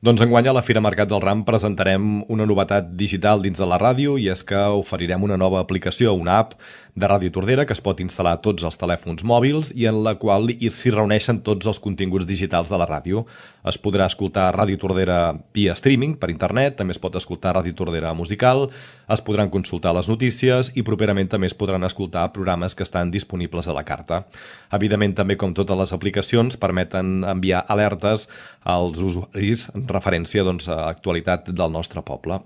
Doncs enguany a la Fira Mercat del Ram presentarem una novetat digital dins de la ràdio i és que oferirem una nova aplicació, una app de Ràdio Tordera que es pot instal·lar a tots els telèfons mòbils i en la qual s'hi reuneixen tots els continguts digitals de la ràdio. Es podrà escoltar Ràdio Tordera via streaming per internet, també es pot escoltar Ràdio Tordera musical, es podran consultar les notícies i properament també es podran escoltar programes que estan disponibles a la carta. Evidentment, també com totes les aplicacions, permeten enviar alertes als usuaris en referència a l'actualitat del nostre poble.